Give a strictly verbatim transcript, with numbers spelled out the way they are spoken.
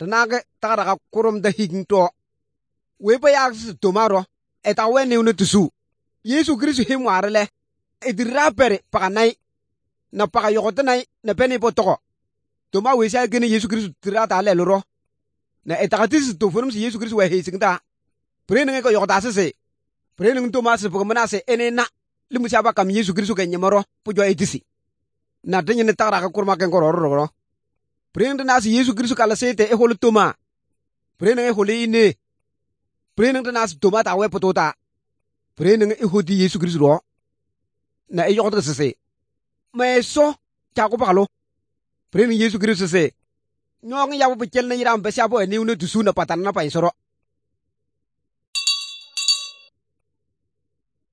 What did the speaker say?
tanage tagara ka kurum da higto we pa ya su tomaro eta we ne unu tusu Yesu Kristo he ngwarele edira pere pakanai na paka yokotanai na peni potoko toma we sha gene Yesu Kristo tira ta le loro na etakatis to forum si Yesu Kristo we he singta prene ko yokota se prene toma se pokmana se enena limu sha ba kam Yesu Kristo ke nyamaro pujo etisi na denye ne tagara ka kurma ken kororo prene na si Yesu Kristo kala sete e holu toma prene e holi ine prene na si toma ta we potota prene e hodi Yesu Kristo ro na e yokota se se me so ta ko bakalo prene Yesu Kristo se nyong ya bo bekel na yiram be sha bo ni unu tusu na patana pa isoro